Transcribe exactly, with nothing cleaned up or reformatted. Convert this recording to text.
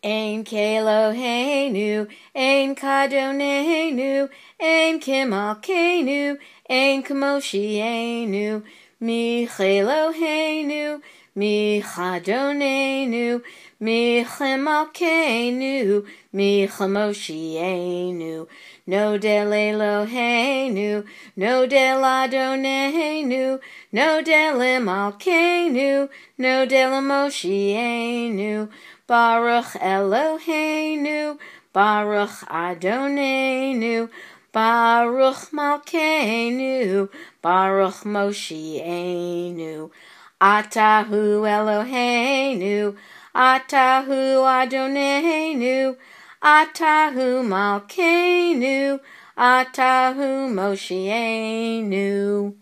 Ein Keloheinu, Ein Kadonenu, Ein Kimalkeinu, Ein Kamoshienu, Micheloheinu, Michadonenu, Michemalkeinu, Michamoshienu, No del Eloheinu, No del Adonenu, No del Imalkeinu, No del Moshienu, Baruch Eloheinu, Baruch Adonenu, Baruch Malkeinu, Baruch Moshienu. Atahu Eloheinu, Atahu Adonenu, Atahu Malkeinu, Atahu Moshienu.